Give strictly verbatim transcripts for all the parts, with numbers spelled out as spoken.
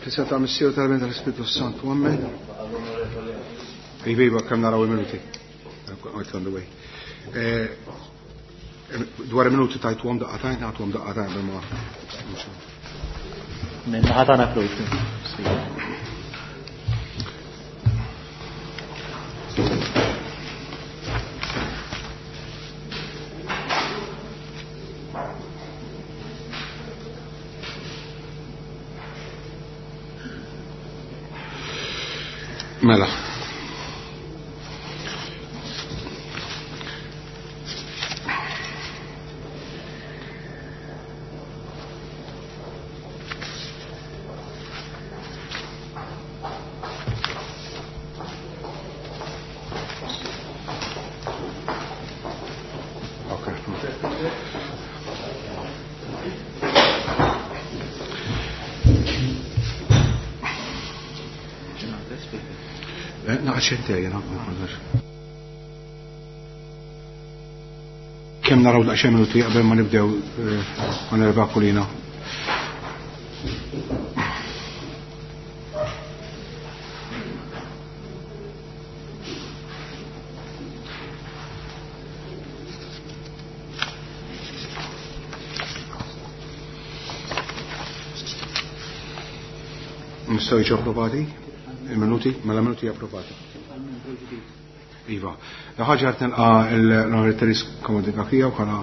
Fl-isem tal-Missier u tal-Iben tal-Ispirtu Santu, amen. Iva, iva, kemm naraw il-minuti. On the way. Dwar il-minuti tajtuhom daqqatajn, nagħtuhom daqqatajn qabel ma. Minn naħa tagħna approved. Mela. Okay. Kemm naraw daqsxejn minuti qabel ma nibdew ma nerba' kulina. Nistgħu jiġu approvati? Il-minuti? Mela minuti approvati. Iva. Ħaġa qed nilqa' l-Onorevoli Therese Comodini Cachia bħala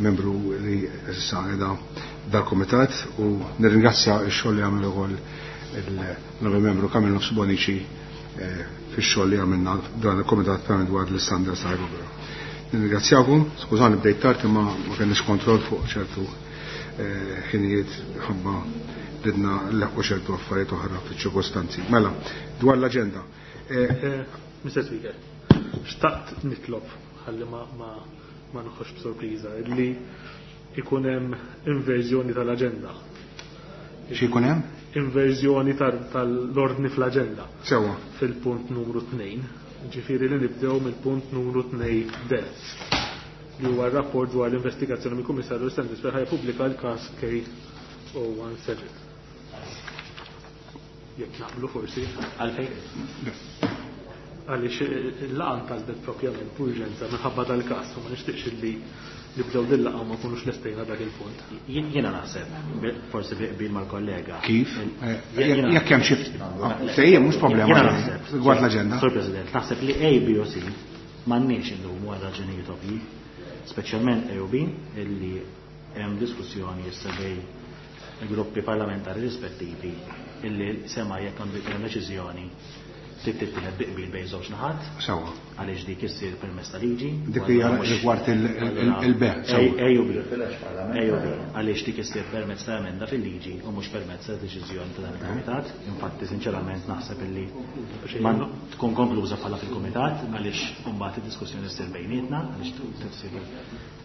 membru li issa qiegħda dal-kumitat u nirringrazzja x-xogħol li għamel ukoll l-onorevoli membru Camillo Bonici fix-xogħol li għamilna dan il-kumitat per dwar l-istandards tal-Ewropa. Nirringrazzjakom, skużani bdejt tard imma ma kellniex kontroll fuq ċertu ħinijiet ħabba ridna nleħqu ċertu affarijiet oħra fiċ-ċirkostanzi. Mela, dwar l-aġenda. Mister Speaker, xtaqt nitlob ħalli ma ma ma noħroġ b'sorpriża illi ikun hemm inverżjoni tal-aġenda. Xi jkun hemm? Inverżjoni tal-ordni fl-aġenda. Sewwa. Fil-punt numru tnejn. Ġifieri li nibdew mill-punt numru tnejn D. Li huwa r-rapport dwar l-investigazzjoni mill-Kummissarju Standards per ħajja pubblika l-każ K O one seven. Jekk naqblu forsi. Għalfejn? Għaliex il-laqgħa ntalbet propjament b'urġenza minħabba dal-każ u ma nixtieqx illi nibdew dil-laqgħa ma nkunux lestejna dak il-punt. Jiena naħseb, forsi bi qbil mal-kollega. Kif? Jekk hemm xi ftehim mhux problema. Jiena naħseb. Rigward l-aġenda. Sur President, naħseb li A, B u C m'għandniex indumu għal raġunijiet ovvji, speċjalment A u B illi hemm diskussjoni issa bejn il-gruppi parlamentari rispettivi illi sema jekk għandu jkun hemm deċiżjoni trid tittieħed bi qbil bejn żewġ naħat. Sewwa. Għaliex dik issir permezz ta' liġi. Dik hija rigward il-B. A u B. A u B. Għaliex dik issir permezz ta' emenda fil-liġi u mhux permezz ta' deċiżjoni ta' dan il-kumitat. Infatti sinċerament naħseb illi ma tkun konkluża bħala fil-kumitat għaliex imbagħad id-diskussjoni ssir bejnietna għaliex issir.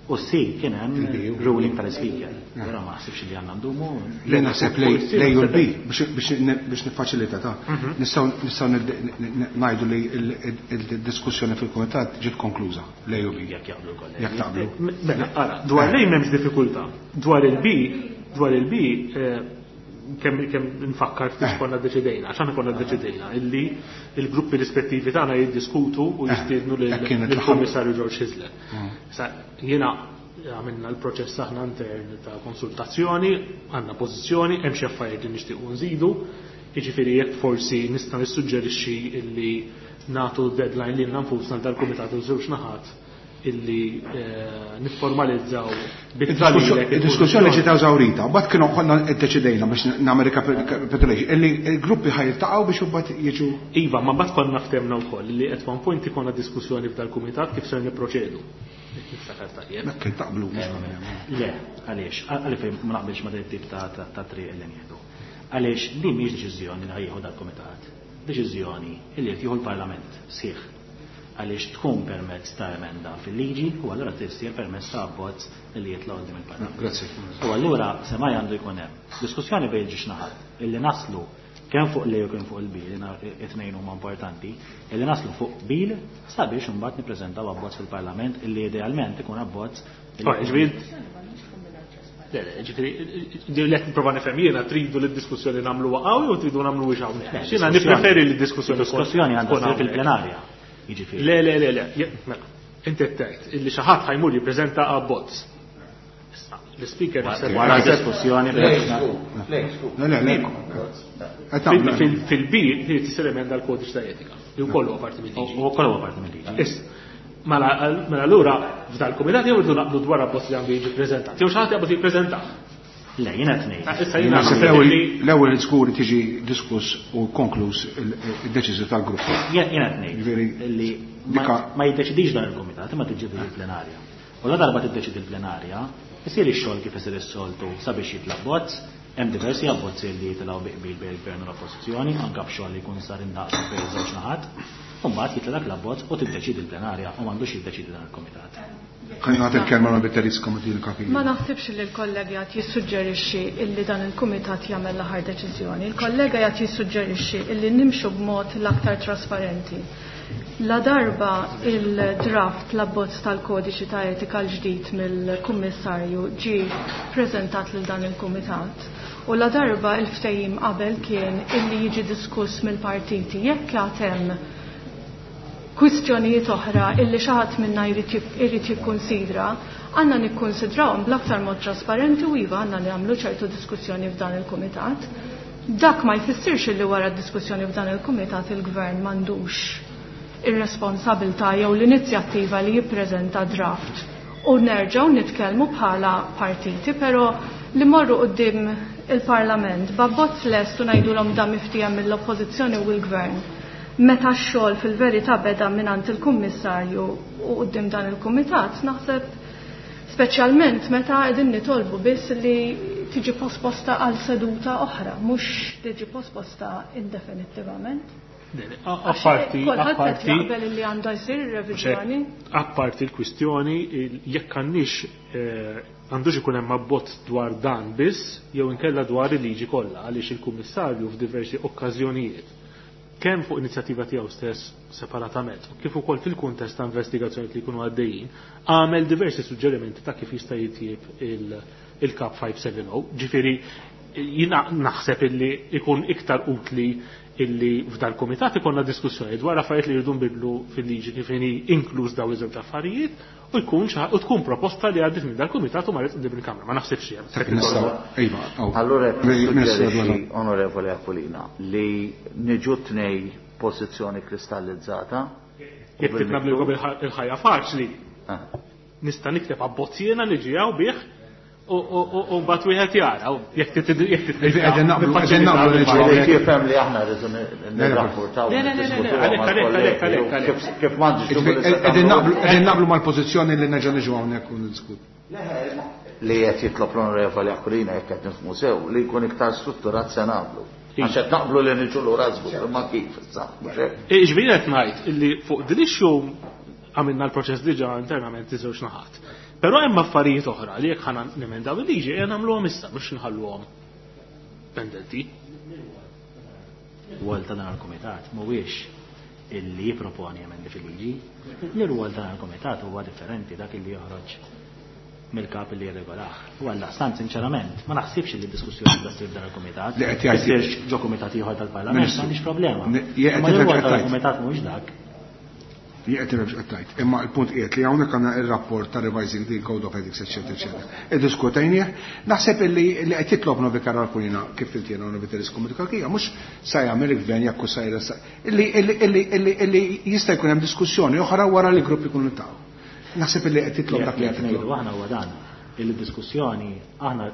U si kien hemm ruling tal-speaker. Però ma naħsibx li għandna ndumu. Le naħseb lej u l-B biex niffaċilita ta' nistgħu nistgħu ngħidu li il-diskussjoni fil-kumitat ġiet konkluża lej u B. Jekk jaqblu l-kollegi. Jekk taqblu. Mela, ara, dwar lej m'hemmx diffikultà. Dwar il-B, dwar il-B kemm kemm nfakkar ftit konna ddeċidejna, għax aħna konna ddeċidejna illi il-gruppi rispettivi tagħna jiddiskutu u jistiednu lill-Kummissarju George Hyzler. Sa jiena għamilna l-proċess aħna intern ta' konsultazzjoni, għandna pożizzjoni, hemm xi affarijiet li nixtiequ nżidu, jiġifieri jekk forsi nista' nissuġġerixxi illi nagħtu deadline lilna nfusna dal-kumitat u żewġ naħat illi nifformalizzaw Id-diskussjoni ġiet eżawrita, mbagħad kienu konna ddeċidejna biex nagħmel recapitulation illi l-gruppi ħajltaqgħu biex imbagħad jiġu. Iva, ma mbagħad konna ftehmna wkoll li at one point ikollna diskussjoni f'dal-kumitat kif ser nipproċedu. Niftakar tajjeb. Ma kien taqblu mhux problema. Le, għaliex, għaliex ma naqbilx ma' tip ta' triq li nieħdu. Għaliex din mhix deċiżjoni li ħajjieħu dal-kumitat, deċiżjoni li qed jieħu l-Parlament sħiħ. Għaliex tkun permezz ta' emenda fil-liġi u allura tissir permezz ta' abbozz li jitla' quddiem il-Parlament. Grazzi. U allura semaj għandu jkun hemm diskussjoni bejn ġiex naħat illi naslu kemm fuq l-A u kemm fuq il-B li it-tnejn huma importanti, illi naslu fuq bil sabiex imbagħad nippreżentaw abbozz fil-Parlament illi idealment ikun abbozz. Ġifieri Le, le, ġifieri, li qed nipprova nifhem jiena tridu li d-diskussjoni nagħmluha hawn jew tridu nagħmluhiex hawnhekk. Jiena nippreferi li d-diskussjoni Diskussjoni għandha ssir fil-plenarja. Jiġifieri. Le, le, le, le, mela, inti qed tgħid illi xi ħadd ħa jmur jippreżenta abbozz. Issa, l-speaker naħseb Wara diskussjoni Le, le, le. Fil-B trid tisir emenda l-kodiċi ta' etika. Li wkoll huwa parti mill-liġi. U wkoll huwa parti mill-liġi. Issa, mela mela allura f'dal-kumitat jew irridu naqblu dwar abbozz li għandu jiġi ppreżentat. Jew xi ħadd jaqbad jippreżenta. Le, jiena qed ngħid. Issa jiena Naħseb naħseb l-ewwel li l-ewwel żgur tiġi diskuss u konkluż id-deċiżjoni tal-grupp. Jiena qed ngħid Ġifieri, li dika- ma jiddeċidix dan il-kumitat, imma tiddeċidi l-plenarja. U la darba tiddeċidi l-plenarja, isir ix-xogħol kif isir is-soltu sabiex jitla' abbozz, hemm diversi abbozzi li jitilgħu bi qbil bejn il-gvern u l-oppożizzjoni, anke b'xogħol li jkun sar indaqs bejn iż-żewġ naħat, u mbagħad jitla' dak l-abbozz u tiddeċidi l-plenarja u m'għandux jiddeċidi dan il-kumitat. Ħa nagħti l-kelma lil Therese Comodini Cachia. Ma naħsibx li l-kollega qed jissuġġerixxi illi dan il-kumitat jagħmel l-aħħar deċiżjoni. Il-kollega qed jissuġġerixxi illi nimxu b'mod l-aktar trasparenti. La darba il-draft l-abbozz tal-kodiċi ta' etika l-ġdid mill-kummissarju ġie preżentat lil dan il-kumitat u la darba il-ftehim qabel kien illi jiġi diskuss mill-partiti jekk għad hemm kwistjonijiet oħra illi xi ħadd minna jrid jrid jikkunsidra, għandna nikkunsidrawhom bl-aktar mod trasparenti u iva għandna nagħmlu ċertu diskussjoni f'dan il-kumitat. Dak ma jfissirx illi wara d-diskussjoni f'dan il-kumitat il-gvern m'għandux ir-responsabilità jew l-inizjattiva li jippreżenta draft u nerġgħu nitkellmu bħala partiti, però li morru quddiem il-Parlament b'abbozz lest u ngħidulhom da miftiehem mill-Oppożizzjoni u l-Gvern. Meta x-xogħol fil-verità beda mingħand il-Kummissarju u quddiem dan il-Kumitat, naħseb speċjalment meta qegħdin nitolbu biss li tiġi posposta għal seduta oħra, mhux tiġi posposta indefinittivament. Apparti, Kulħadd qed apparti, jaqbel li għandha jsir ir-reviżjoni. apparti l-kwistjoni jekk għandix eh, għandux ikun hemm abbozz dwar dan biss jew inkella dwar il-liġi kollha għaliex il-Kummissarju f'diversi okkażjonijiet kemm fuq inizjattiva tiegħu stess separatament u kif ukoll fil-kuntest ta' investigazzjoni li jkunu għaddejjin għamel diversi suġġerimenti ta' kif jista' jitjieb il-Kap five seven oh. Ġifieri jiena naħseb illi ikun iktar utli illi f'dal komitat ikollna diskussjoni dwar affarijiet li jridu nbidlu fil-liġi kif inhi inkluż daw iż-żewġ affarijiet u jkun xi u tkun proposta li għaddiet minn dal-kumitat u marret quddiem il-Kamra. Ma naħsibx hemm. Dak nistgħu, iva, aw. Allura qed Ministru nissuġġerixxi, Dwar. Onorevoli Aquilina, li niġu tnej pożizzjoni kristallizzata. Jekk trid nagħmlu il-ħajja faċli, Ah. nista' nikteb abbozz jiena niġi hawn bih u, u, u, u mbagħad wieħed jara, u jekk trid jekk trid Qegħdin naqblu, qegħdin naqblu li ġew Li hawnhekk. tifhem li aħna rridu nirrapportaw. Le, le, le, le, le, niddiskutuha għalhekk, għalhekk, mal-kollegi, għalhekk, għalhekk. kif- Kif m'għandix dubju li se Qegħdin tagħmlu. naqblu, qegħdin naqblu mal-pożizzjoni li nerġa' niġu hawnhekk u niddiskutu. Li qed jitlob l-Onorevoli Aquilina jekk qed nifhmu sew li jkun iktar strutturat se nagħmlu. Għax qed naqblu li niġu lura żgur, imma kif issa, mhux hekk? Ġifieri qed ngħid illi fuq din issue għamilna l-proċess diġà internament iż-żewġ naħat. Però hemm affarijiet oħra li jekk ħana nemendaw il-liġi ejja nagħmluhom issa biex nħalluhom pendenti. Ir-rwol ta' dan il-kumitat mhuwiex illi jipproponi emendi fil-liġi. L-rwol ta' dan il-kumitat huwa differenti dak illi joħroġ mill-kap li jirregolah. U għaldaqstant, sinċerament, ma naħsibx li d-diskussjoni tista' ssir f'dan il-kumitat. Li qed jgħid- Issir ġo kumitat ieħor tal-Parlament, Ministru, m'għandix problema. ne- jien qed Ma l-rwol nifhem x'qed tal-kumitat mhuwiex dak. Jien qed nifhem x'qed tgħid. Imma l-punt qiegħed li hawnhekk għandna ir-rapport ta' revising the Code of Ethics, eċċetera, eċċetera. Iddiskutejnieh, naħseb illi li qed jitlob Novi Karol Aquilina kif fhimt jiena Novi Therese Comodini Cachia, mhux sa jagħmel il-gvern jekk hu sa jressaq. Illi, illi, illi, illi, illi jista' jkun hemm diskussjoni oħra wara li l-grupp ikunu ltaqgħu. Naħseb illi qed titlob dak li qed ngħidu titlob. aħna huwa dan, il-diskussjoni aħna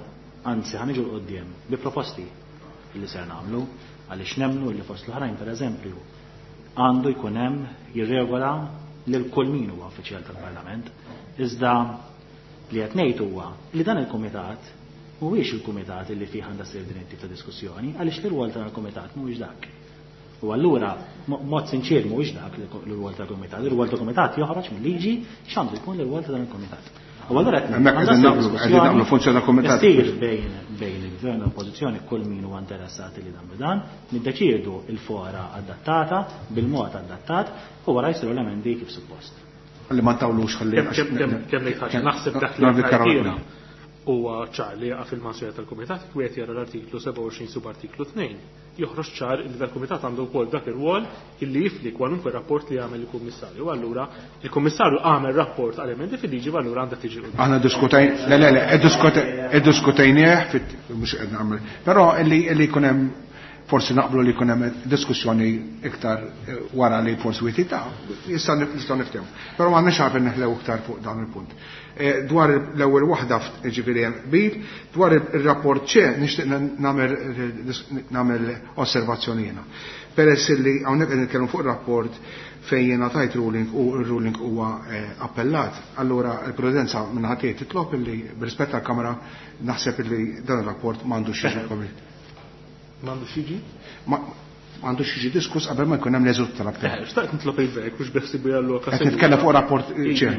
anzi ħa niġu 'l quddiem bi proposti li ser nagħmlu għaliex nemmnu li fost l-oħrajn pereżempju għandu jkun hemm jirregola lil kull min huwa uffiċjal tal-Parlament. Iżda li qed ngħid huwa li dan il-kumitat mhuwiex il-kumitat li fih għandha ssir din it-tip ta' diskussjoni għaliex l-irwol tal-kumitat mhuwiex dak. U allura mod sinċir mhuwiex dak l-rwol tal-kumitat, ir-rwol tal-kumitat joħroġ mill-liġi x'għandu jkun l-rwol ta' dan il-kumitat. U allura qed Hemmhekk qegħdin naqblu, qegħdin naqblu funzjoni tal-kumitat. Issir bejn bejn il-gvern u l-oppożizzjoni kull min huwa interessat li dan b'dan, niddeċiedu il-fora adattata bil-mod adattat u wara jsiru l-emendi kif suppost. Ħalli ma ntawlux ħalli Kemm kemm kemm ngħid ħaġa, naħseb dak li Novi qed Karol jiena Aquilina. huwa ċar li jaqa' fil-mansija tal-Kumitat, wieħed jara l-artiklu sebgħa u għoxrin subartiklu tnejn. Joħroġ ċar li dal-Kumitat għandu wkoll dak ir-rwol illi jifli kwalunkwe rapport li jagħmel il-Kummissarju. Allura il-Kummissarju għamel rapport għal emendi fil-liġi, allura għandha tiġi quddiem. Aħna diskutajn, le le le, iddiskutejnieh mhux qed nagħmel. Però illi illi jkun hemm forsi naqblu li jkun hemm diskussjoni iktar wara li forsi wieħed ta' jista' nistgħu niftehmu. Però m'għandniex għarfien neħlew iktar fuq dan il-punt. Dwar l-ewwel waħda ġifieri hemm qbil, dwar ir-rapport ċe nixtieq nagħmel nagħmel osservazzjoni jiena. Peress li hawnhekk qed nitkellmu fuq rapport fejn jiena tajt ruling u r-ruling huwa appellat, allura l-prudenza minn ħadd titlob illi b'rispett għall-Kamra naħseb illi dan ir-rapport m'għandux jiġi komit. M'għandux jiġi? M'għandux jiġi diskuss qabel ma jkun hemm l-eżut tal-appell. Xtaqt nitlob il-verk mhux beħsibu jalloka. Qed nitkellem fuq rapport ċe.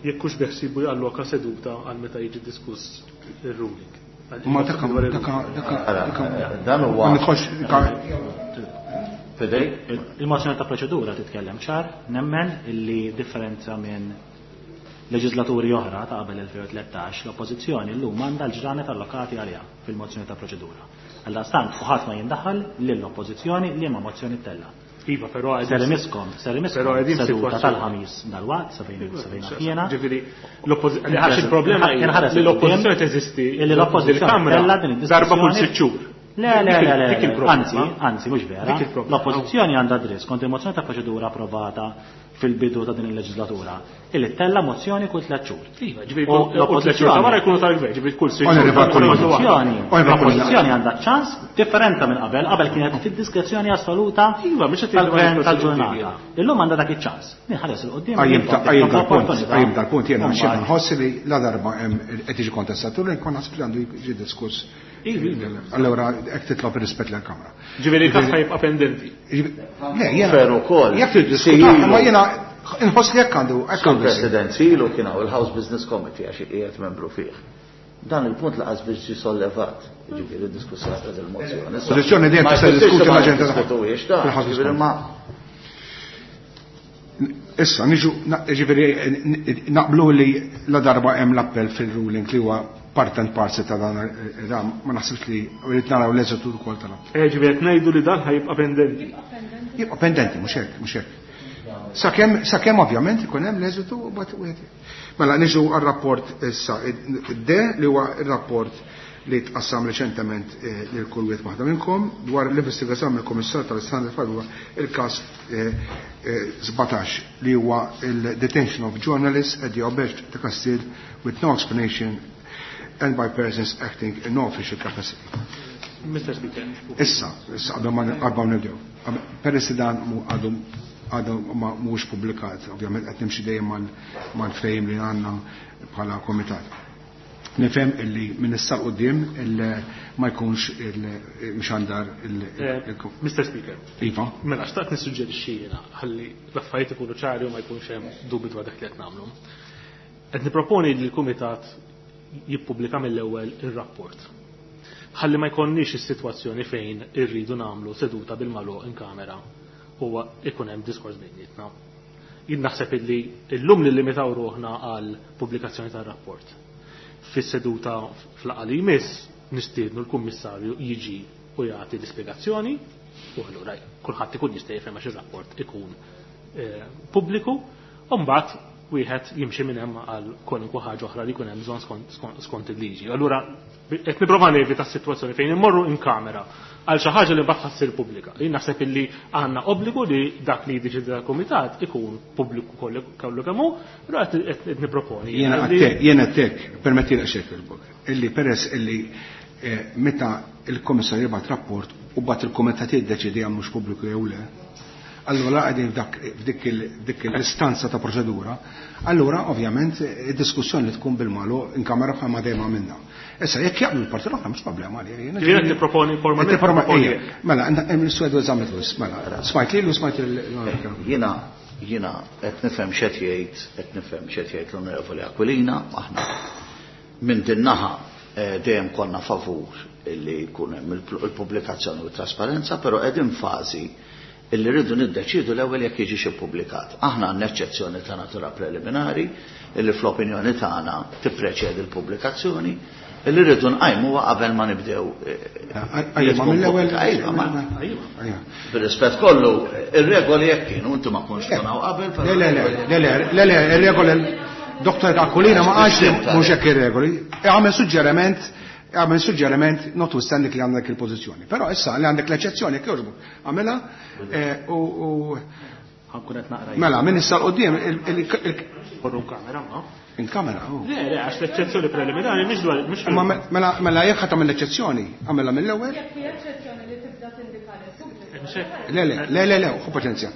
Jekk hux beħsibu jalloka seduta għal meta jiġi diskuss ir-ruling. Ma dak dak dak dan huwa. Ma nidħolx Fidej? Il-mozzjoni ta' proċedura titkellem ċar, nemmen illi differenza minn leġislaturi oħra ta' qabel elfejn u tlettax, l-oppożizzjoni llum għandha l-ġranet allokati għaliha fil-mozzjoni ta' proċedura. Għaldaqstant ħadd ma jindaħal lill-oppożizzjoni li ma mozzjoni tella. Iva, però Ser imiskom, ser imiskom Però qegħdin seduta sitwazzjoni. tal-ħamis dal-waqt, sebgħin sebgħin ħjiena. Ġifieri, l-oppożizzjoni, għax il-problema hija Inħares li l-oppożizzjoni il-quddiem, teżisti illi l-oppożizzjoni fil-Kamra tella din id-diskussjoni. darba kull sitt xhur. Le, le, le, le, Dik il-problema. anzi, anzi, mhux vera. Dik il-problema. L-oppożizzjoni għandha dritt skont il-mozzjoni ta' proċedura approvata fil-bidu ta' din il-leġislatura, illi tella mozzjoni kull tliet xhur. Iva, ġifieri U kull tliet xhur ta' wara jkunu tal-gvern, ġifieri kull sitt xhur. Onorevole Aquilina. L-oppożizzjoni, Onorevole l-oppożizzjoni għandha ċans differenta minn qabel, qabel kienet fid-diskrezzjoni assoluta Iva, mhux qed jgħidu tal-gvern għal tal-ġurnata. Illum għandha dak iċ-ċans. Minħares il quddiem. Għajjem ta' għajjem dal-punt, għajjem dal-punt jiena Mbagħad. xi nħoss li la darba hemm qed jiġi kontestat u nkun naħseb li għandu jiġi diskuss. Allura hekk titlob ir-rispett lill-Kamra. Ġifieri il-każ ħajibqa' pendenti. Le, jiena Fer ukoll. Jekk tiddiskuta, ma jiena inħoss li hekk għandu hekk Sur għandu jsir. President, ilu kien hawn il-House Business Committee għax qiegħed membru fih. Dan il-punt laqas biex ġie sollevat, jiġifieri diskussjoni ta' il-mozzjoni. Pożizzjoni dejjem Ma tista' jfissirx diskuti ma l-aġenda niddiskutuhiex ta' fil-House Business ġifieri ma Issa, niġu, ġifieri, naqblu li la darba hemm l-appell fil-ruling li huwa part and parcel ta' dan, dan ma naħsibx li rrid naraw l-eżitu wkoll tal-appell. Eh, ġifieri qed ngħidu li dan ħajibqa' pendenti. Jibqa' pendenti, mhux hekk, mhux hekk. Sakemm, sakemm ovvjament ikun hemm l-eżitu u mbagħad wieħed. Mela niġu għar-rapport issa D li huwa r-rapport li tqassam reċentement lil kull wieħed waħda minnkom dwar l-investigazzjoni mill-Kummissarju tal-Istandard Fadwa il-każ sbatax li huwa il-detention of journalists at the Auberge de Castile with no explanation and by persons acting in no official capacity. Mister Speaker. Issa, issa qabel ma qabel ma nibdew. Peress li dan mu għadu għadu ma mhuwiex pubblikat, ovvjament qed nimxi dejjem mal-frame li għandna bħala komitat. Nifhem illi minn issa 'l quddiem ma jkunx il-mxandar il- Eh, Mister Speaker. Iva. Mela, xtaqt nissuġġerixxi jiena ħalli l-affarijiet ikunu ċari u ma jkunx hemm dubju dwar dak li qed nagħmlu. Qed nipproponi li l-Kumitat jippubblika mill-ewwel ir-rapport. Ħalli ma jkollniex is-sitwazzjoni fejn irridu nagħmlu seduta bil-magħluq in kamera huwa ikun hemm diskors bejnietna. Jien naħseb illi illum li limitaw ruħna għal pubblikazzjoni tar-rapport. Fis-seduta fl-laqgħa li jmiss nistiednu l-kummissarju jiġi u jagħti l-ispjegazzjoni u allura kulħadd ikun jista' jifhem għax ir-rapport ikun, eh, pubbliku, u mbagħad wieħed jimxi minn hemm għal kwalunkwe ħaġa oħra li jkun hemm bżonn skont, skont, skont il-liġi. Allura qed nipprova nevita s-sitwazzjoni fejn immorru in kamera għal xi ħaġa li mbagħad ħassir pubblika. Jien naħseb illi għandna obbligu li dak li jiddeċidi dal-kumitat ikun pubbliku kollu kollu kemm hu, però qed, qed nipproponi. Jiena Li- għattek, jiena għattek, permetti daqsxejn il-bok, illi peress illi, eh, meta il-komissarju jibgħat rapport u bagħad il-kumitat jiddeċidi għal mhux pubbliku jew le, allura qegħdin f'dak, f'dik il-, f'dik l-istanza ta' proċedura, allura ovvjament id-diskussjoni li tkun bil-magħluq in kamera bħalma dejjem għamilna. Issa jekk jaqblu l-parti l-oħra mhux problema għalija, jiena Ġifieri qed nipproponi formalment Qed nipproponi, nipproponi. ejja. Mela, għandna hemm il-Swed Zammit Lewis, mela, smajt lilu, smajt il- Jiena, jiena qed nifhem x'qed jgħid, qed nifhem x'qed jgħid l-Onorevoli Aquilina, aħna minn din naħa, eh, dejjem konna favur li jkun hemm il-pubblikazzjoni u t-trasparenza, però qegħdin fażi Illi rridu niddeċidu l-ewwel jekk jiġix ippubblikat. Aħna għandna eċċezzjoni ta' natura preliminari illi fl-opinjoni tagħna tippreċedi l-pubblikazzjoni illi rridu nqajmuha qabel ma nibdew. Ejja, mill-ewwel. Bir-rispett kollu, ir-regoli jekk kienu, inti ma kontx tkun hawn qabel. Le, le, le, le, le, le, ir-regoli Doktor Aquilina ma qalx li mhux hekk ir-regoli. Għamel suġġeriment għamel suġġeriment notwithstanding li għandek il-pożizzjoni. Però issa li għandek l-eċċezzjoni jekk jogħġbu. Għamilha u ħankun qed naqra. Mela, minn issa l-qudiem Korru kamera, ma? In kamera, oh. Le, le, għax l-eċċezzjoni preliminari mhix dwar mhux. Mela, mela jekk ħadd tagħmel l-eċċezzjoni, għamilha mill-ewwel. Jekk hi eċċezzjoni li tibda tindika l-pubbliku. Le, le, le, le, le, ħu paċenzja.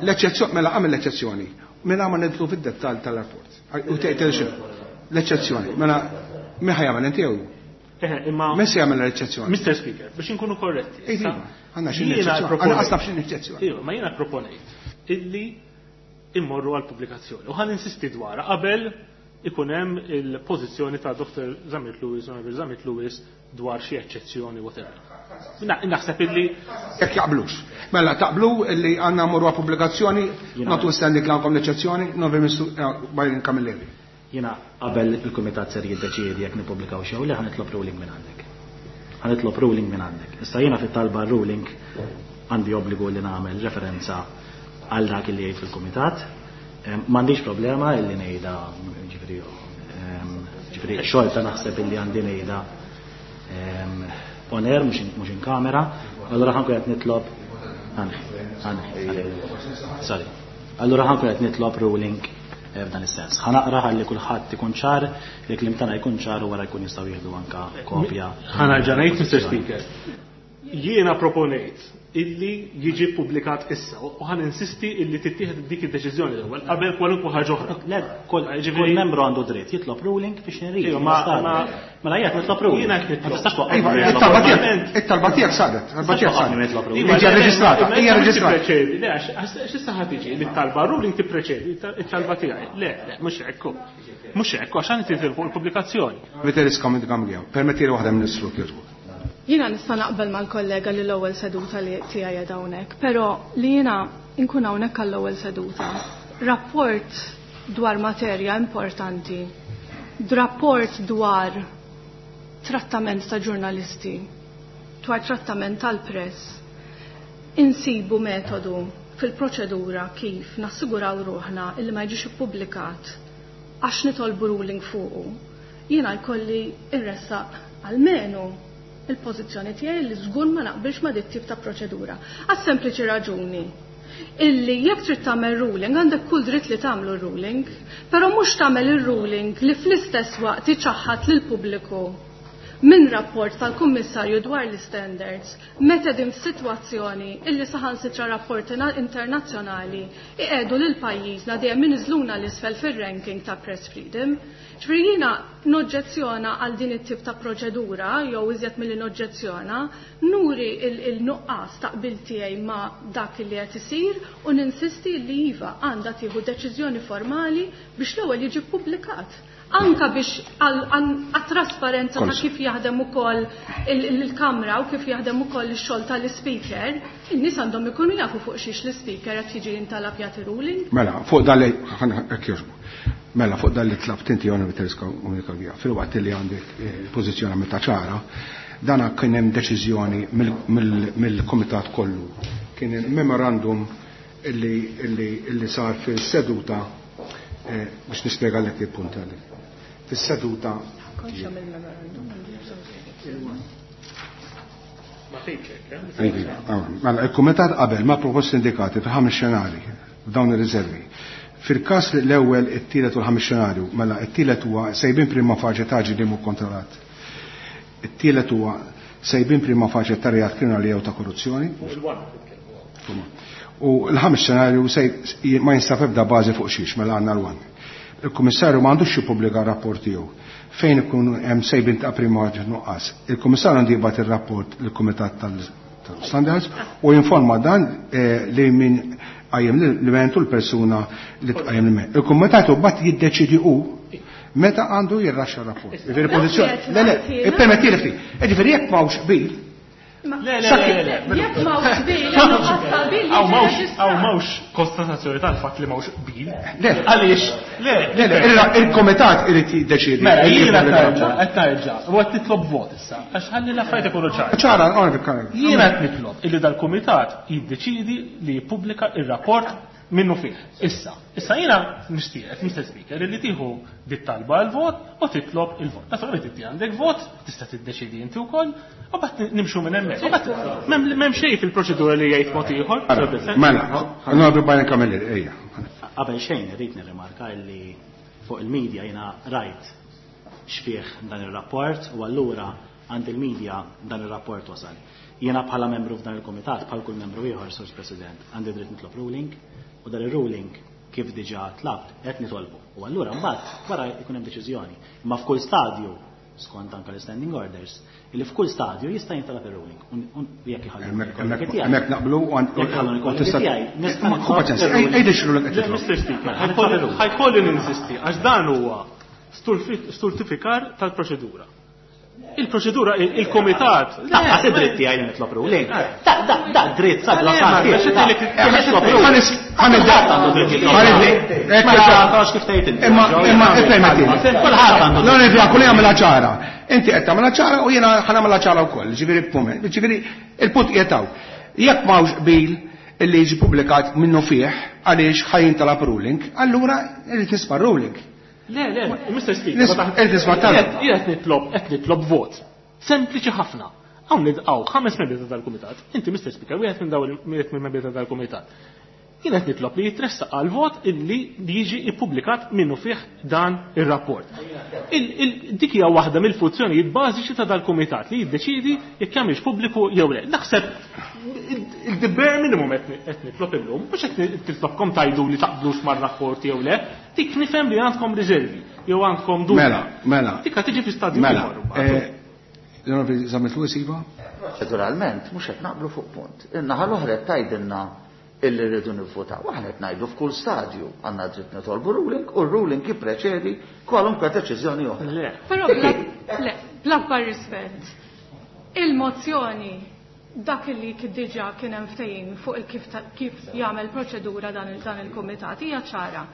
L-eċċezzjoni, mela għamel l-eċċezzjoni. Mela ma nidħlu fid-dettall tal-rapport. U tgħid l-eċċezzjoni. Mela min ħa jagħmel inti jew? Imma Min se jagħmel l-eċċezzjoni? Mister Speaker, biex inkunu korretti. Iva, għandna xi eċċezzjoni. Għandna qasna f'xi eċċezzjoni. Iva, ma jiena proponejt illi immorru għal pubblikazzjoni. U ħan insisti dwarha qabel ikun hemm il-pożizzjoni ta' Doktor Zammit Lewis, Onorevoli Zammit Lewis dwar xi eċċezzjoni whatever. Naħseb illi jekk jaqblux. Mela taqblu illi għandna mmorru għal pubblikazzjoni, notwithstanding li għandkom l-eċċezzjoni, November Ministru Byron Camilleri. Jiena qabel il-kumitat ser jiddeċiedi jekk nippubblikaw xew li ħanitlob ruling minn għandek. Ħanitlob ruling minn għandek. Issa jiena fit-talba ruling għandi obbligu li nagħmel referenza għal dak li jgħid fil-kumitat. M'għandix problema illi ngħidha, ġifieri ġifieri xorta naħseb illi għandi ngħidha on air mhux in kamera. Allura ħankun qed nitlob sorry. Allura ħankun qed nitlob ruling f'dan is-sens. Ħanaqra ħalli kulħadd ikun ċar, li kliem tagħna jkun ċar u wara jkun jistgħu jieħdu anka kopja. Ħanerġa' ngħid, Mister Speaker. Jiena proponejt illi jiġi ppubblikat issa u ħan insisti illi tittieħed dik id-deċiżjoni l-ewwel qabel kwalunkwe ħaġa oħra. Le, kull kull membru għandu dritt jitlob ruling biex nrid. Iva, ma mela jekk nitlob ruling. Jiena qed nitlob. Ma tistax twaqqaf. Iva, it-talba tiegħek, it-talba tiegħek saret, it-talba tiegħek saret. Hija reġistrata, hija reġistrata. Le, għax issa ħa tiġi li t-talba ruling tippreċedi it-talba tiegħi. Le, le, mhux hekk. Mhux hekk għax għandi titilfu l-pubblikazzjoni. Viteris comment Gamgija, permetti li waħda Ministru kieġbu. Jiena nista' naqbel mal-kollega li l-ewwel seduta li tiegħi qiegħda hawnhekk, però li jiena nkun hawnhekk għall-ewwel seduta. Rapport dwar materja importanti, rapport dwar trattament ta' ġurnalisti, dwar trattament tal-press, insibu metodu fil-proċedura kif nassiguraw ruħna illi ma jiġix ippubblikat għax nitolbu ruling fuqu. Jiena jkolli irressaq almenu il-pożizzjoni tiegħi li żgur ma naqbilx ma dit tip ta' proċedura. Għas sempliċi raġuni illi jekk trid tagħmel ruling għandek kull dritt li tagħmlu ruling, però mhux tagħmel ir-ruling li fl-istess waqt iċaħħad lill-pubbliku minn rapport tal-Kummissarju dwar l-standards meta din f'sitwazzjoni illi saħansitra rapporti internazzjonali iqiegħdu lil pajjiżna dejjem iniżluna l-isfel fir-ranking ta' press freedom. Ġifieri jiena noġġezzjona għal din it-tip ta' proċedura jew iżjed milli noġġezzjona, nuri il-nuqqas ta' qbil tiegħi ma' dak li qed isir u ninsisti li iva għandha tieħu deċiżjoni formali biex l-ewwel jiġi ppubblikat. Anka biex għat-trasparenza ta' kif jaħdem ukoll il-kamra u kif jaħdem ukoll ix-xogħol tal-ispeaker, in-nies għandhom ikunu jafu fuq xiex l-ispeaker qed jiġi jintalab jagħti ruling. Mela, fuq dan li hekk jogħġbu. Mela, fuq dan li tlabt inti Onorevoli Therese Komunika fil-waqt li għandek pożizzjoni meta ċara, dan kien hemm deċiżjoni mill-kumitat kollu. Kien hemm memorandum illi sar fis-seduta biex nispjega lek il-punt għalik. Fis-seduta. Mela, il-kumitat qabel ma' proposti indikati fil-ħames xenarji f'dawn ir-riservi. Fil-każ li l-ewwel, it-tielet u l-ħames xenarju, mela it-tielet huwa sejbin prima faċe ta' ġi li mhu kontrollat. It-tielet huwa sejbin prima faċe ta' reat kriminali jew ta' korruzzjoni. U l-ħames xenarju ma jinstab ebda bażi fuq xiex, mela għandna l-wan. Il-Kummissarju ma għandux jippubblika rapport tiegħu fejn ikun hemm sejbin ta' prima nuqqas. Il-Kummissarju għandu jibgħat ir-rapport lill-Kumitat tal-Standards u jinforma dan li min qajjem l-ment u l-persuna li tqajjem l-ment. Il-Kumitat imbagħad jiddeċidi hu meta għandu jirraxxa r-rapport. Jiġifieri pożizzjoni. Le, le, ippermettili ftit. Jiġifieri jekk m'hawnx qbil, Le, le, le, le. Jekk m'hawnx qbil, nuqqas ta' qbil jiġi Hawn m'hawnx konstatazzjoni tal-fatt li m'hawnx qbil. Le. Għaliex? Le, Le, le, il-komitat irid jiddeċiedi. Mela, jiena qed nerġa', qed nerġa', u qed nitlob vot issa, għax ħalli l-affarijiet ikunu ċari. Ċara, onorevoli. Jiena qed nitlob illi dal-kumitat jiddeċiedi li jippubblika ir-rapport minnu fih. Issa, issa jiena nixtieq, Mister Speaker, illi tieħu dit-talba għal vot u titlob il-vot. Naturalment inti għandek vot, tista' tiddeċiedi inti wkoll, u mbagħad nimxu minn hemmhekk. U mbagħad m'hemm xejn fil-proċedura li jgħid mod ieħor. Mela, onorevoli Byron Camilleri, ejja. Qabel xejn irrid nirrimarka illi fuq il-medja jiena rajt x'fih dan ir-rapport u allura għand il-medja dan ir-rapport wasal. Jiena bħala membru f'dan il-kumitat, bħal kull membru ieħor, Sur President, għandi dritt nitlob ruling u dan ir-ruling kif diġà tlabt qed nitolbu. U allura mbagħad wara jkun hemm deċiżjoni. Imma f'kull stadju, skont anke l-standing orders, illi f'kull stadju jista' jintalab ir-ruling. U jekk iħallu il-kollegi tiegħi. Hemmhekk naqblu u Jekk iħallu il-kollegi tiegħi, nista' nitlob paċenzja. ir-ruling. Ejdi x'ruling qed titlob. Mister Speaker, ħajkolli ninsisti għax dan huwa stultifikar tal-proċedura. Il-proċedura, il-komitat. Lanqas id-dritt tiegħi li nitlob ruling. Da, da, da, dritt sa bla Le, ma, santi. biex inti Nitlob ruling. Kulħadd għandu dritt jitlob ruling. Ma tafx kif tgħid inti. Imma, imma, ippermetti. Kulħadd għandu dritt. Non è kulli jagħmilha ċara. Inti qed tagħmilha ċara u jiena ħa nagħmilha ċara wkoll, ġifieri b'mument. Ġifieri il-punt qiegħed hawn. Jekk m'hawnx qbil illi jiġi pubblikat minnu fih għaliex ħa jintalab ruling, allura irid nisma' ruling. Le, le, Mister Speaker, Nisma' ma taħ- irid nisma' talba. Qed qed nitlob, qed nitlob vot. Sempliċi ħafna. Hawn nidqgħu ħames membri ta' dal-kumitat. Inti Mister Speaker, wieħed minn dawn wieħed minn membri ta' dal-kumitat. Jien qed nitlob li jitressaq għal vot illi jiġi ippubblikat minnu fih dan ir-rapport. Dik hija waħda mill-funzjonijiet bażiċi ta' dal-kumitat li jiddeċiedi jekk jagħmilx pubbliku jew le. Naħseb il-the bare minimum qed nitlob illum, mhux qed nitlobkom tajdu li taqblux mar-rapport jew le, dik nifhem li għandkom riservi jew għandkom dubju. Mela, mela. Dik qed tiġi fi stadju Mela, ieħor mbagħad. eh, L-Onorevoli Zammit Lewis, iva? Proċeduralment, mhux qed naqblu fuq punt. In-naħa l-oħra qed tgħidilna illi rridu nivvotaw. Aħna qed ngħidu f'kull stadju għandna dritt nitolbu ruling u r-ruling jippreċedi kwalunkwe deċiżjoni oħra. Le. Però bla- le, bl-akbar rispett, il-mozzjoni dak li diġà kien hemm ftehim fuq il-kif ta-, kif jagħmel proċedura dan il-, dan il-kumitat hija ċara.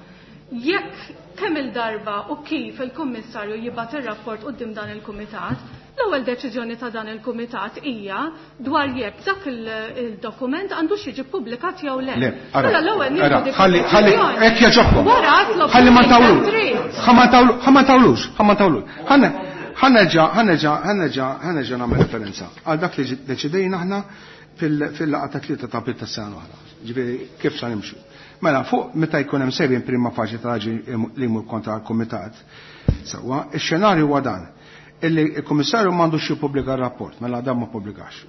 Jekk kemm il-darba u kif il-kummissarju jibgħat ir-rapport quddiem dan il-kumitat, l-ewwel deċiżjoni ta' dan il-kumitat hija dwar jekk dak il-, il-dokument għandux jiġi ppubblikat jew le. Le, ara, Mela l-ewwel nieħdu ara, dik ħalli, ħalli, id-deċiżjoni. hekk jogħġobkom. Wara tlob Ħalli ma ruling ntawlux. dritt. Ħa ma ntawlu, ħa ma ntawlux, ħa ma ntawlux. Ħanna, ħanerġa', ħanerġa', ħanerġa', ħanerġa' nagħmel referenza għal dak li deċidejna aħna fil-, fil-laqgħa ta' tlieta ta' April tas-sena l-oħra. Ġifieri kif sa nimxu. Mela, fuq meta jkun hemm sejbin prima faċi ta' raġi li jmur kontra l-kumitat. Sewwa, ix-xenarju huwa dan. Illi il-Kummissarju m'għandux jippubblika r-rapport, mela dan ma ppubblikax.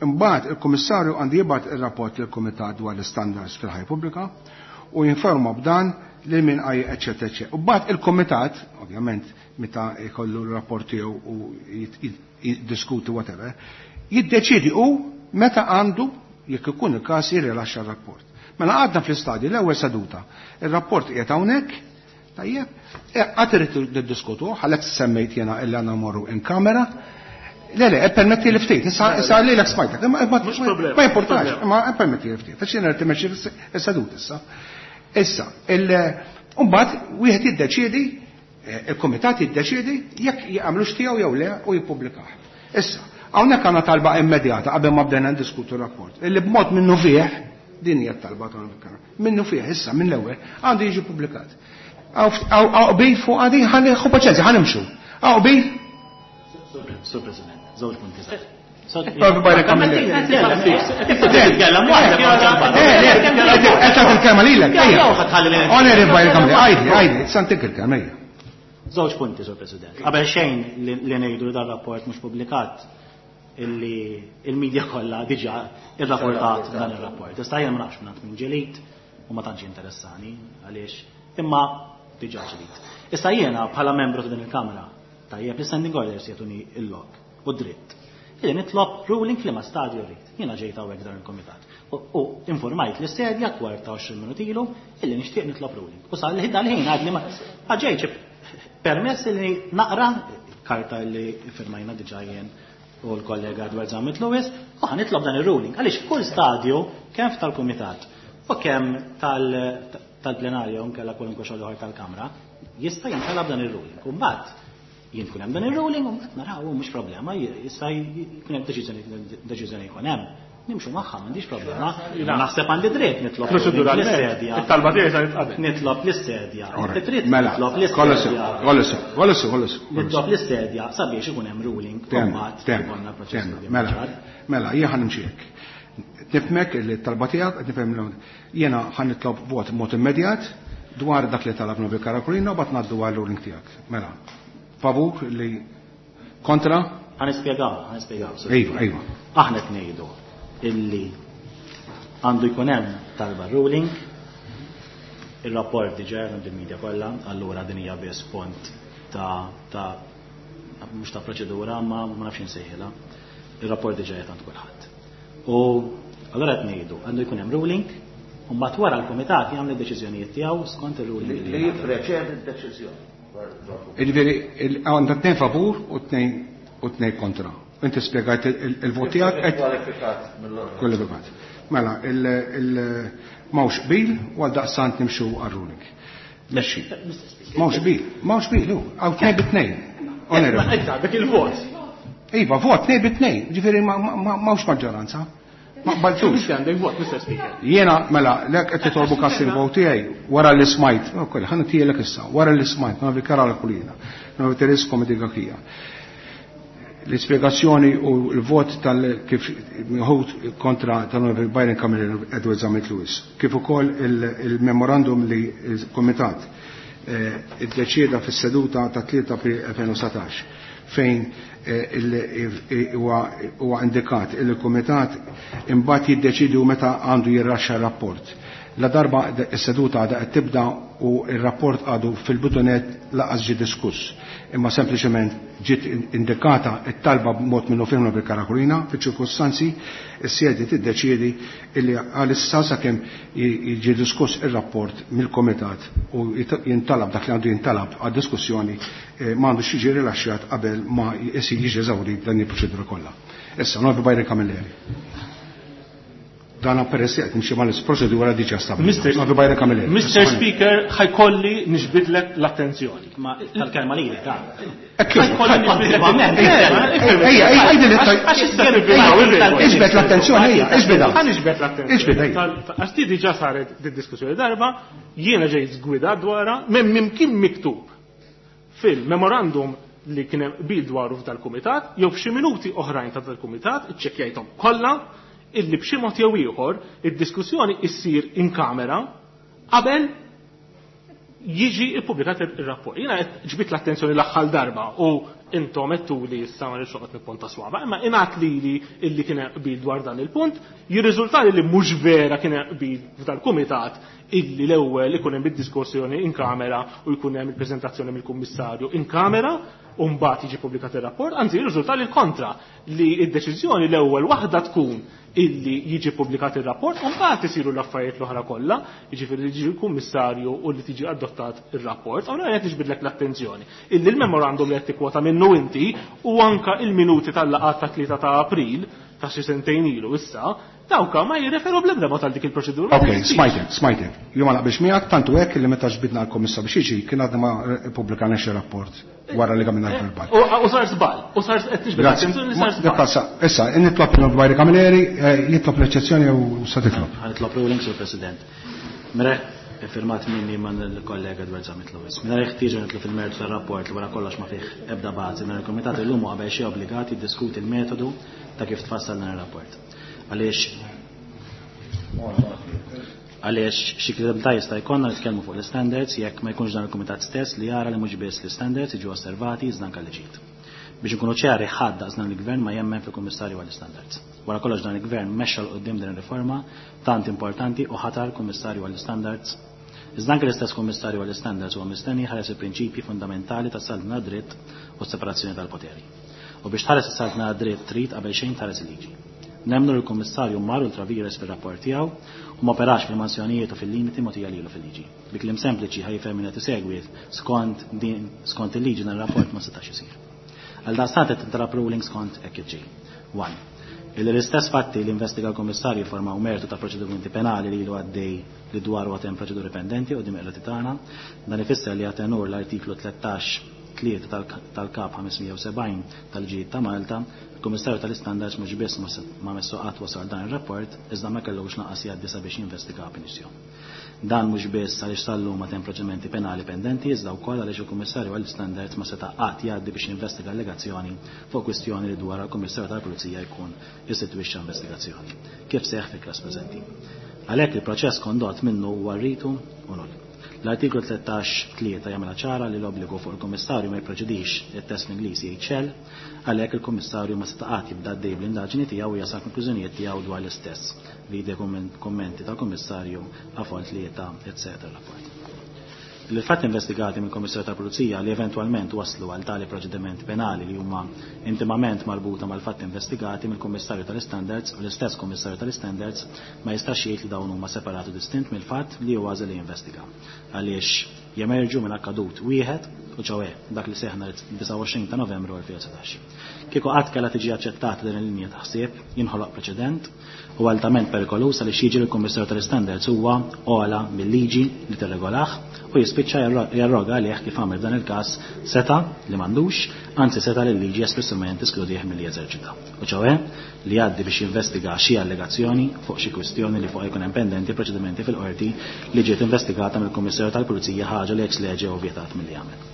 Imbagħad il-Kummissarju għandu jibgħat ir-rapport lill-Kumitat dwar l-istandards fil-ħajja pubblika u jinforma b'dan lil min għaj, eċċetera, eċċetera. U mbagħad il-Kumitat, ovvjament, meta jkollu l-rapport tiegħu u jit-, jit-, jiddiskuti whatever, jiddeċiedi hu meta għandu, jekk ikun il-każ, jirrilaxxa r-rapport. Mela għadna fl-istadju l-ewwel seduta. Ir-rapport qiegħed hawnhekk, tajjeb, e, għad irid niddiskutuh, għalhekk semmejt jiena illi għandna mmorru in kamera. Le, le, permetti li ftit, issa, issa lilek smajtek, imma, imma, Mhux problema, ma importax, problema. imma permetti li ftit, għax jiena rrid immexxi is-seduta issa. Issa, il-, mbagħad wieħed jiddeċiedi, eh, il-kumitat jiddeċiedi jekk jagħmlux tiegħu jew le u jippubblikah. Issa, hawnhekk għandna talba immedjata qabel ma bdejna ndiskutu r-rapport, illi b'mod minnu fih, din hija t-talba ta' Kamra, minnu fih issa minn l-ewwel għandu jiġi ppubblikat. Għaw qbil fuq għadi, ħu paċenzja, ħanimxu. Għaw qbil? Sur President, żewġ punti żgħar. Provi Byron Camilleri. Titkellem waħda, ma ġampa. Eh, le, qed tagħti il-kelma lilek, ejja. Jew ħadd ħalli lil- Onorevoli Byron Camilleri, għajdi, għajdi, santik il-kelma, ejja. Żewġ punti, Sur President. Qabel xejn li, li ngħidu li dan rapport mhux pubblikat, illi il-medja kollha diġà irrapportat dan ir-rapport. Issa jien ma nafx minn minn ġelit u ma tantx interessani għaliex imma diġà ġelit. Issa jiena bħala membru ta' din il-Kamra, tajjeb l-standing orders jagħtuni il-lok u dritt. Illi nitlob ruling f'liema stadju rrid. Jiena ġejt hawnhekk dan il-kumitat. U, u informajt l-istedja kwarta għoxrin minuti ilu illi nixtieq nitlob ruling. U sal dal-ħin għadni ma ġejtx permess li naqra karta li firmajna diġà jien u l-kollega Edward Zammit Lewis u ħa nitlob dan ir-ruling. Għaliex f'kull stadju kemm tal-kumitat u kemm tal-plenarja u nkella kwalunkwe xogħol ieħor tal-Kamra jista' jintalab dan ir-ruling. U mbagħad jien tkun hemm dan ir-ruling u mbagħad naraw mhux problema, jista' jkun hemm deċiżjoni jkun hemm. Nimxu magħha, m'għandix problema. Naħseb għandi dritt nitlob l-istedja. It-talba tiegħi saret qabel. Nitlob l-istedja. Dritt nitlob l-istedja. Nitlob l-istedja sabiex ikun hemm ruling u mbagħad ikollna proċess. Mela, mela, jien ħa nimxi hekk. Nifhmek li t-talba tiegħek qed nifhem jiena ħa nitlob vot mod immedjat dwar dak li talabna bil-Karakulina u bat ngħaddu għal ruling tiegħek. Mela, favur li kontra? Ħa nispjegaw, ħa nispjegaw. Iva, iva. Aħna qed ngħidu illi għandu jkun hemm talba ruling, il-rapport diġà għand il-media kollha, allura din hija biss punt ta' ta' mhux ta' proċedura ma ma nafx insejħilha. Il-rapport diġà qed għand kulħadd. U allura qed ngħidu għandu jkun hemm ruling, u mbagħad wara l-kumitat jagħmel id-deċiżjonijiet tiegħu skont ir-ruling li jippreċedi d-deċiżjoni. Jiġifieri għandha tnejn favur u tnejn u tnejn kontra. Inti spjegajt il-vot tiegħek qed kwalifikat mill-ewwel. Kwalifikat. Mela, il m'hawnx qbil u għal daqstant nimxu għar-ruling. Mexxi. M'hawnx qbil, m'hawnx qbil, hu, hawn tnejn bi tnejn. Dak il-vot. Iva, vot tnejn bi tnejn, ġifieri m'hawnx maġġoranza. Ma qbaltux. Għandek vot, Mister Speaker. Jiena, mela, lek qed titolbu kas il-vot tiegħi wara li smajt, ukoll ħa ntielek issa, wara li smajt, ma vikara l-kulina, ma Teres Komedikakija. L-ispjegazzjoni u l-vot tal-kif meħud kontra tal-Onorevoli Byron Camilleri Edward Zammit Lewis, kif ukoll il-memorandum li l-Komitat iddeċieda fis-seduta ta' tlieta April elfejn u satax fejn huwa indikat il-Kumitat imbagħad jiddeċidu meta għandu jirraxxa r-rapport. La darba is-seduta għadha qed tibda u r-rapport għadu fil-bidunet laqas ġie diskuss. Imma sempliċement ġiet indikata t-talba b'mod minnu firma bil-Karakulina fiċ-ċirkustanzi is-sedi tiddeċiedi illi għalissa sakemm jiġi diskuss ir-rapport mill-Kumitat u jintalab dak li għandu jintalab għad-diskussjoni ma għandux jiġi rilaxxjat qabel ma jsir jiġi eżawrit dan il-proċedura kollha. Issa, Onorevoli Byron Camilleri. Dan peress qed nimxi mal-proċedura diġà stabbilita. Mister Speaker, ħajkolli nixbidlek l-attenzjoni. Ma tal-kelma lili ta' Ejja, iġbed l-attenzjoni, ejja, iġbedha. Ħa nixbed l-attenzjoni. Għax ti diġà saret di-diskussjoni darba, jiena ġejt żgwidat dwarha, m'hemm imkien miktub fil-memorandum li kien hemm qbil dwaru f'dal-kumitat, jew f'xi minuti oħrajn ta' dal-kumitat, iċċekkjajthom kollha, illi b'xi mod jew ieħor id-diskussjoni issir in kamera qabel jiġi ippubblikat ir-rapport. Jiena qed ġbit l-attenzjoni l-aħħar darba u intom għedtuli issa ma nixtieq qed nipponta swaba, imma ingħad lili illi kien hemm qbil dwar dan il-punt, jirriżultali li mhux vera kien hemm qbil f'dal-kumitat illi l-ewwel ikun hemm id-diskussjoni in kamera u jkun hemm il-preżentazzjoni mill-kummissarju in kamera u mbagħad jiġi ppubblikat ir-rapport, anzi jirriżulta li l-kontra li d-deċiżjoni l-ewwel waħda tkun illi jiġi ppubblikat ir-rapport u mbagħad isiru l-affarijiet l-oħra kollha, jiġifieri li jiġi l-kummissarju u li tiġi adottat ir-rapport. Allura qed niġbidlek l-attenzjoni illi l-memorandum li qed tikkwota minnu inti u anka il-minuti tal-laqgħat ta' tlieta ta' April ta' xi sentejn ilu issa, dawka ma jirreferu bl-ebda mod għal dik il-proċedura. Ok, smajtek, smajtek. Jien ma naqbilx miegħek tantu hekk li meta ġbidna l-kommissa biex jiġi kien għadna ma ppubblikana xi rapport wara li għamilna l-verbal. U sar żball, u sar qed niġbed l-attenzjoni li sar żball. Issa, nitlob il-Byron Camilleri, jitlob l-eċċezzjoni u sa titlob. Ħa nitlob ruling, Sur President. Mela firmat minni man il-kollega Edward Zammit Lewis. Mela ħtieġa nitlu fil-mertu tar-rapport li wara kollox ma fih ebda bażi, mela il-Kumitat illum huwa qabel xi obbligat jiddiskuti l-metodu ta' kif tfassal dan ir-rapport. Għaliex għaliex xi kredibilità jista' jkollna nitkellmu fuq l-standards jekk ma jkunx dan il-kumitat stess li jara li mhux biss l-standards jiġu osservati iżda anke liġijiet. Biex inkunu ċari ħadd daqs dan il-gvern ma jemmen fil-kummissarju għall-standards. Wara kollox dan il-gvern mexxa l quddiem din ir-riforma tant importanti u ħatar kummissarju għall-standards. Iżda anke l-istess kummissarju għall-standards huwa mistenni jħares il-prinċipji fundamentali tas-saltna dritt u s-separazzjoni tal-poteri. U biex tħares is-saltna dritt trid qabel xejn tħares il-liġi. Nemmnu li l-kummissarju mar ultravires fir-rapport tiegħu u ma operax fil-mansjonijiet u fil-limiti mogħtija lilu fil-liġi. Bi kliem sempliċi ħajfhem min qed isegwi skont din skont il-liġi dan ir-rapport ma setax isir. Għal daqstant qed tintalab ruling skont hekk kif ġej. One. Illi l-istess fatti li investiga l-Kummissarju formaw mertu ta' proċedimenti penali li ilu għaddej li dwaru għad hemm proċeduri pendenti quddiem il-qrati tagħna. Dan ifisser li għatenur l-artiklu tlettax tlieta tal-Kap ħames mija u sebgħin tal-Liġijiet ta' Malta, il-Kummissarju tal-Istandards mhux biss ma messu qatt wasal dan ir-rapport, iżda ma kellux naqas jgħaddi sabiex jinvestiga ab initio. Dan mhux biss għaliex sal-lum ma hemm proċedimenti penali pendenti, iżda wkoll għaliex il-Kummissarju għall-Istandards ma seta' qatt jgħaddi biex jinvestiga allegazzjoni fuq kwistjoni li dwar il-Kummissarju tal-Pulizija jkun jistitwixxa investigazzjoni, kif seħħ fil-każ preżenti. Għalhekk il-proċess kondott minnu huwa rritu u null. L-artiklu tlettax tlieta jagħmilha ċara li l-obbligu fuq il-Kummissarju ma jipproċedix it-test l-Ingliż jgħid xell, għalhekk il-Kummissarju ma seta' qatt jibda għaddej bl-indaġni tiegħu u jasal konklużjonijiet tiegħu dwar l-istess. Vide kummenti tal-Kummissarju għafol tlieta, eccetera rapport. Il-fatti investigati mill-Kummissarju tal-Pulizija li eventwalment waslu għal tali proċediment penali li huma intimament marbuta mal-fatti investigati mill-Kummissarju tal-Istandards u l-istess Kummissarju tal-Istandards ma jistax jgħid li dawn huma separati u distint mill-fatt li huwa għażel li jinvestiga. Għaliex jemerġu minn akkadut wieħed u ċowe dak li seħħ nhar disgħa u għoxrin ta' Novembru elfejn u setax. Kieku qatt kellha tiġi aċċettata din il-linja ta' ħsieb jinħoloq preċedent u altament perikoluż għaliex jiġi l-Kummissarju tal-Istandards huwa ogħla mill-liġi li tirregolah u jispiċċa jarroga għalih kif għamel f'dan il-każ seta' li m'għandux, anzi seta' li l-liġi espressament tiskludih milli jeżerċita. U ċowe li jgħaddi biex jinvestiga xi allegazzjoni fuq xi kwistjoni li fuq jkun hemm pendenti proċedimenti fil-qorti li ġiet investigata mill-Kummissarju tal-Pulizija, ħaġa li ex leġe ovvjetat milli jagħmel.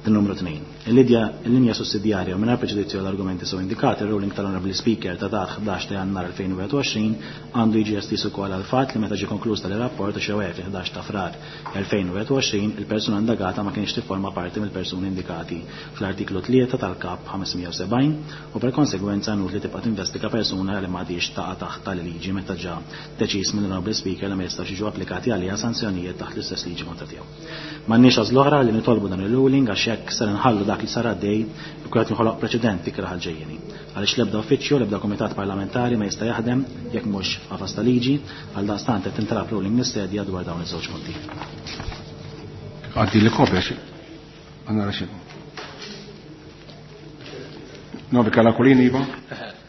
Numru tnejn. Il-linja sussidjarja mingħajr preġudizzju għall-argumenti sew indikati, il-ruling tal-Honorable Speaker ta' dat ħdax ta' Jannar elfejn u wieħed u għoxrin għandu jiġi estiż ukoll għal fatt li meta ġie konkluż tal-rapport xew fi ħdax ta' Frar elfejn u wieħed u għoxrin il-persuna indagata ma kienx tifforma parti mill-persuni indikati fl-artiklu tlieta tal-Kap ħames mija u sebgħin u per konsegwenza nut li tibqa' tinvestiga persuna li m'għadix taqa' taħt tal-liġi meta ġa deċiż mill-Honorable Speaker li ma jistax jiġu applikati għaliha sanzjonijiet taħt l-istess liġi kontra tiegħu. M'għandniex għażla oħra li nitolbu dan il-ruling għax hekk ser nħallu dak li sar għaddej ikun qed jinħoloq preċedent ikraħ għal-ġejjeni. Għaliex l-ebda uffiċċju, l-ebda kumitat parlamentari ma jista' jaħdem jekk mhux f'qafas ta' liġi, għal daqstant qed tintalab ruling mis-sedja dwar dawn iż-żewġ punti. Għaddi li kopja xi. Għandna xi. Novi Kalakulini, Iva.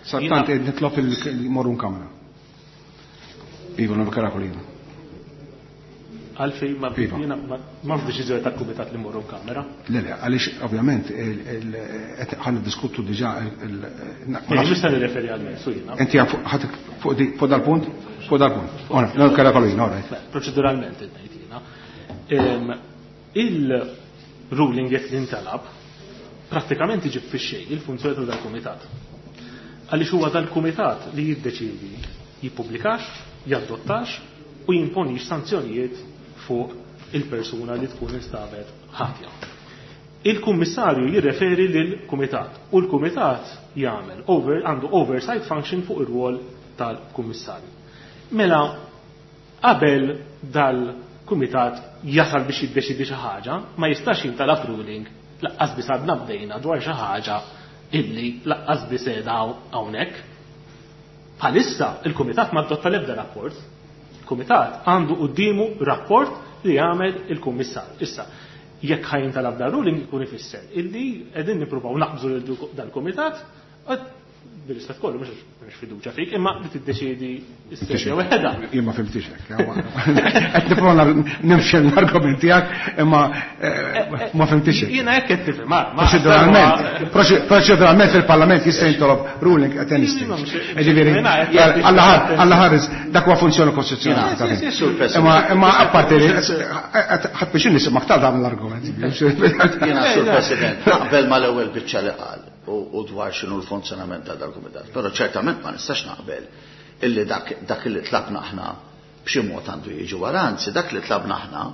Sattant qed nitlob il-morru kamera. Iva, Novi Kalakulini. Għalfej ma jiena ma f'deċiżjoni tal-kumitat li mmorru kamera. Le, le, għaliex ovvjament ħan niddiskutu diġà il- Mhux se nirreferi għal mersu jiena. Inti fuq dal-punt? Fuq dal-punt. Ora, non Kalakulini, ora. Proċeduralment ngħid jiena. Il-ruling jekk jintalab prattikament iġib fix-xejn il-funzjoni ta' dal-kumitat. Għaliex huwa dal-kumitat li jiddeċiedi jippubblikax, jaddottax u jimponix sanzjonijiet fuq il-persuna li tkun instabet ħatja. Il-kummissarju jirreferi lill-kumitat u l-kumitat jagħmel over, għandu oversight function fuq ir-rwol tal-kummissarju. Mela qabel dal-kumitat jasal biex jiddeċidi xi ħaġa, ma jistax jintalab ruling laqqas biss għadna bdejna dwar xi ħaġa illi laqqas biss qiegħda hawnhekk. Bħalissa il-kumitat ma adotta l-ebda rapport. Il-kumitat għandu quddiemu rapport li jagħmel il-kummissarju. Issa, jekk ħajn talab dar ruling ikun ifisser illi qegħdin nippruvaw naqbżu lil dal-kumitat bil-istat kollu mhux mhux fiduċja fik, imma li tiddeċiedi s-sessja weħeda. Jien ma fimtix hekk. Qed nipprova nimxi l-argument tiegħek, imma ma fimtix hekk. Jiena hekk qed tifhem, ma Proċeduralment, proċeduralment fil-Parlament jista' jintolob ruling at any stage. Ġifieri, Alla ħares dak huwa funzjoni kostituzzjonali. Imma imma apparti li ħadd biex nisimgħek ta' dan l-argument. Jiena Sur President, naqbel mal-ewwel biċċa li qal u dwar x'inhu l-funzjonament ta' dal-kumitat, però ċertament ma nistax naqbel illi dak, dak li tlabna aħna b'xi mod għandu jiġi wara, anzi dak li tlabna aħna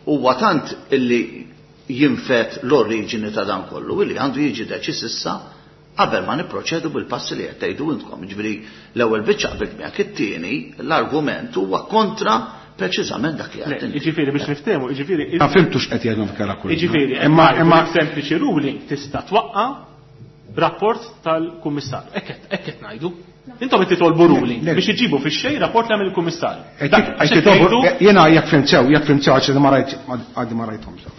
huwa tant illi jinfet l-oriġini ta' dan kollu illi għandu jiġi deċiż issa qabel ma nipproċedu bil-passi li qed tgħidu intkom. Jiġifieri l-ewwel biċċa qabilt miegħek, it-tieni l-argument huwa kontra preċiżament dak li qed inti. Jiġifieri biex niftehmu, jiġifieri Ma fimtux qed jgħidu f'kara kull. Jiġifieri Imma imma sempliċi ruling tista' twaqqa' rapport tal-kummissarju. Hekk qed ngħidu. Intom qed titolbu ruling biex iġibu fix-xejn rapport li għamel il-kummissarju. Jiena jekk fimt sew, jekk fimt sew għax ma rajt għaddi ma rajthom sew.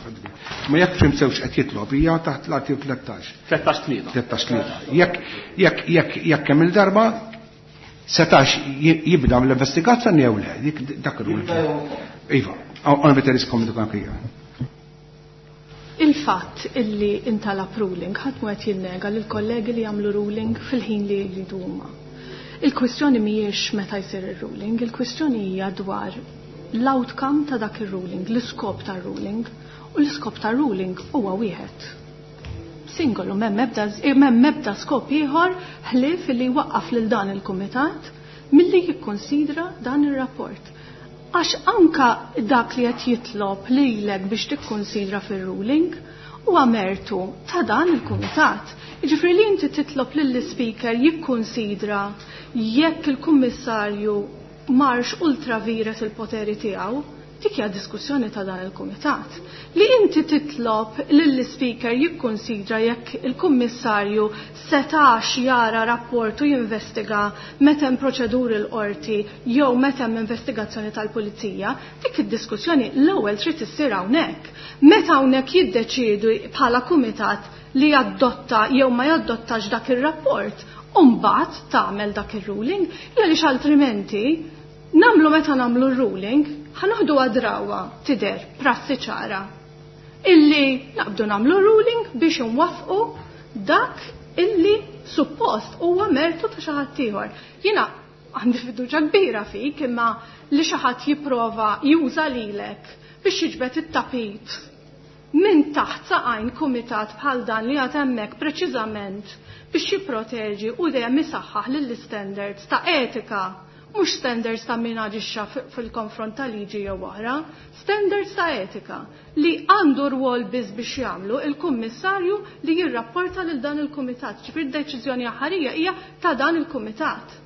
Ma jekk fim sewx qed jitlob hija taħt l-artiklu tlettax. Tlettax tlieta. Tlettax tlieta. Jekk jekk jekk jekk kemm il-darba setax jibda mill-investigazzjoni jew le, dik dak il Iva, Onorevoli Therese Comodini. Il-fatt illi intalab ruling ħadd mu qed jinnega lill kollegi li jagħmlu ruling fil-ħin li jridu huma. Il-kwistjoni mhijiex meta jsir ir-ruling, il-kwistjoni hija dwar l-outcome ta' dak ir-ruling, l-iskop tar-ruling, u l-iskop tar-ruling huwa wieħed. Singolu, m'hemm ebda skop ieħor ħlief li jwaqqaf lil dan il-kumitat milli jikkonsidra dan ir-rapport. Għax anka dak li qed jitlob lilek biex tikkonsidra fir-ruling huwa mertu ta' dan il-kumitat. Jiġifieri li inti titlob lill-ispeaker jikkonsidra jekk il-kummissarju marx ultra vires il-poteri tiegħu, dik hija diskussjoni ta' dan il-kumitat. Li inti titlob lill-ispeaker jikkonsidra jekk il-kummissarju setax jara rapport u jinvestiga meta hemm proċeduri l-qorti jew meta hemm investigazzjoni tal-pulizija, dik id-diskussjoni l-ewwel trid issir hawnhekk. Meta hawnhekk jiddeċiedu bħala kumitat li jaddotta jew ma jaddottax dak ir-rapport, u mbagħad tagħmel dak ir-ruling, għaliex altrimenti namlu meta namlu r-ruling, ħanoħdu għadrawa tidher prassi ċara illi naqbdu namlu ruling biex nwaffqu dak illi suppost huwa mertu ta' xi ħadd ieħor. Jiena għandi fiduċja kbira fik, imma li xi ħadd jipprova juża lilek biex jiġbed it-tapit minn taħt saqajn kumitat bħal dan li għad hemmhekk preċiżament biex jipproteġi u dejjem isaħħaħ lill-standards ta' etika, mhux standards ta' min aġixxa fil-konfront ta' liġi jew oħra, standards ta' etika li għandu rwol biss biex jagħmlu il-kummissarju li jirrapporta lil dan il-kumitat. Ġifieri d-deċiżjoni aħħarija hija ta' dan il-kumitat.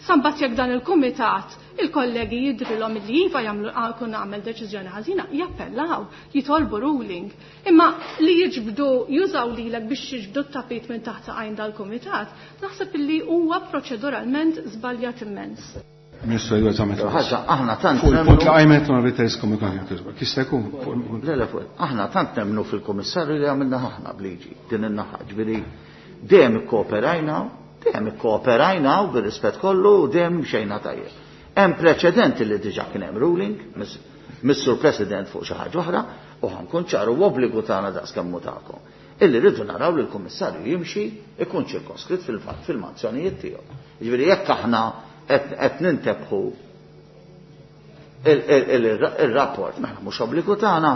Sambat jekk dan il-kumitat il-kollegi jidrilhom li iva jagħmlu kun għamel deċiżjoni ħażina, jappellaw, jitolbu ruling. Imma li jiġbdu jużaw lilek biex jiġbdu t-tapit minn taħt għajn dal-kumitat, naħseb illi huwa proċeduralment żbaljat immens. Ministru Edward Zammit. Ħaġa, aħna tant Fuq il-punt li qajmet Onorevoli Therese Comodini, jista' jkun fuq Le, le, fuq. Aħna tant nemmnu fil-Kummissarju li għamilna aħna bliġi din in-naħa, ġifieri dejjem ikkooperajna, dejjem ikkooperajna u bir-rispett kollu u dejjem mxejna tajjeb. Hemm preċedenti li diġà kien hemm ruling mis-Sur President fuq xi ħaġa oħra u ħankun ċaru obbligu tagħna daqs kemm hu tagħkom. Illi rridu naraw li l-Kummissarju jimxi ikun ċirkoskritt fil-fatt fil-manzjonijiet tiegħu. Jiġifieri jekk aħna qed nintebħu il-rapport, mela mhux obbligu tagħna,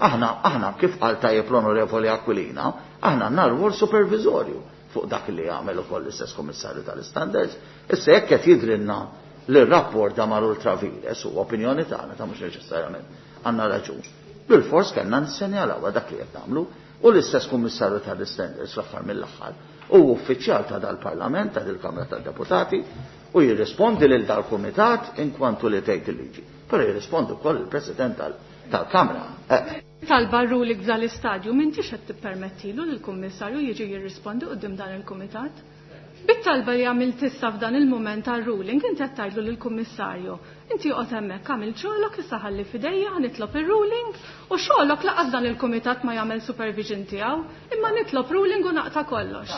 aħna aħna kif qal tajjeb l-Onorevoli Aquilina, aħna għandna rwol supervisorju fuq dak li jagħmel ukoll l-istess Kummissarju tal-Standards. Issa jekk qed jidrilna li r-rapport da mar ultravires u opinjoni tagħna ta' mhux neċessarjament għandna raġun. Bil-fors kellna nissenjalaw dak li qed nagħmlu u l-istess Kummissarju tal-Standards fl-aħħar mill-aħħar u uffiċjal ta' dal-Parlament, ta' dil-Kamra tad-Deputati, u jirrispondi lil dal-Kumitat in kwantu li tgħid il-liġi. Però jirrispondi wkoll il-President tal-Kamra. Talba ruling f'dan l-istadju m'intix qed tippermettilu lill-Kummissarju jiġi jirrispondi quddiem dan il-Kumitat. Bit-talba li għamilt issa f'dan il-mument tar-ruling inti qed tgħidlu lill-Kummissarju, inti oqgħod hemmhekk għamil xogħlok issa ħalli f'idejja nitlob ir-ruling u xogħlok laqas dan il-kumitat ma jagħmel supervision tiegħu, imma nitlob ruling u naqta' kollox.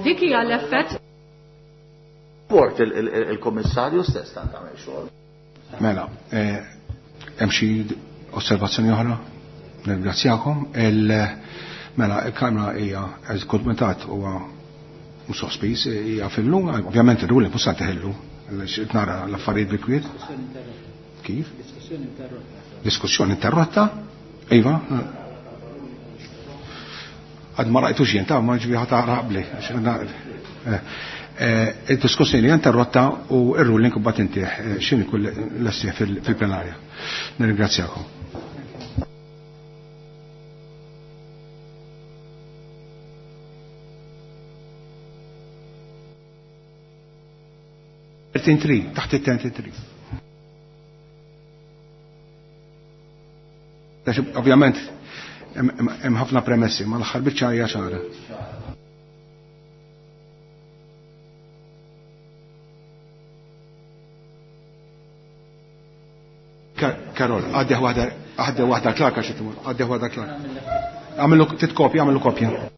Dik hija l-effett. Port il-Kummissarju stess tant għamel xogħol. Mela, hemm xi osservazzjoni oħra? Nirringrazzjakom. Mela, il-Kamra hija il-Kumitat huwa sospiż hija fil-lum, ovvjament ir-ruling mhux se teħillu, għaliex nara l-affarijiet bi kwiet. Kif? Diskussjoni interrotta. Diskussjoni interrotta? Iva. Għad ma rajtux jien, ta' ma ġbi ħata qabli. Il-diskussjoni interrotta u ir-ruling mbagħad intih x'inhi kull lestih fil-plenarja. Nirringrazzjakom. thirteen three, taħt it-thirteen three. Ovvjament, hemm ħafna premessi, ma l-aħħar biċċa hija ċara. Karol, għaddeħ waħda, għaddeħ waħda klaka xi tmur, għaddeħ waħda klaka. Għamillu titkopja, għamillu kopja.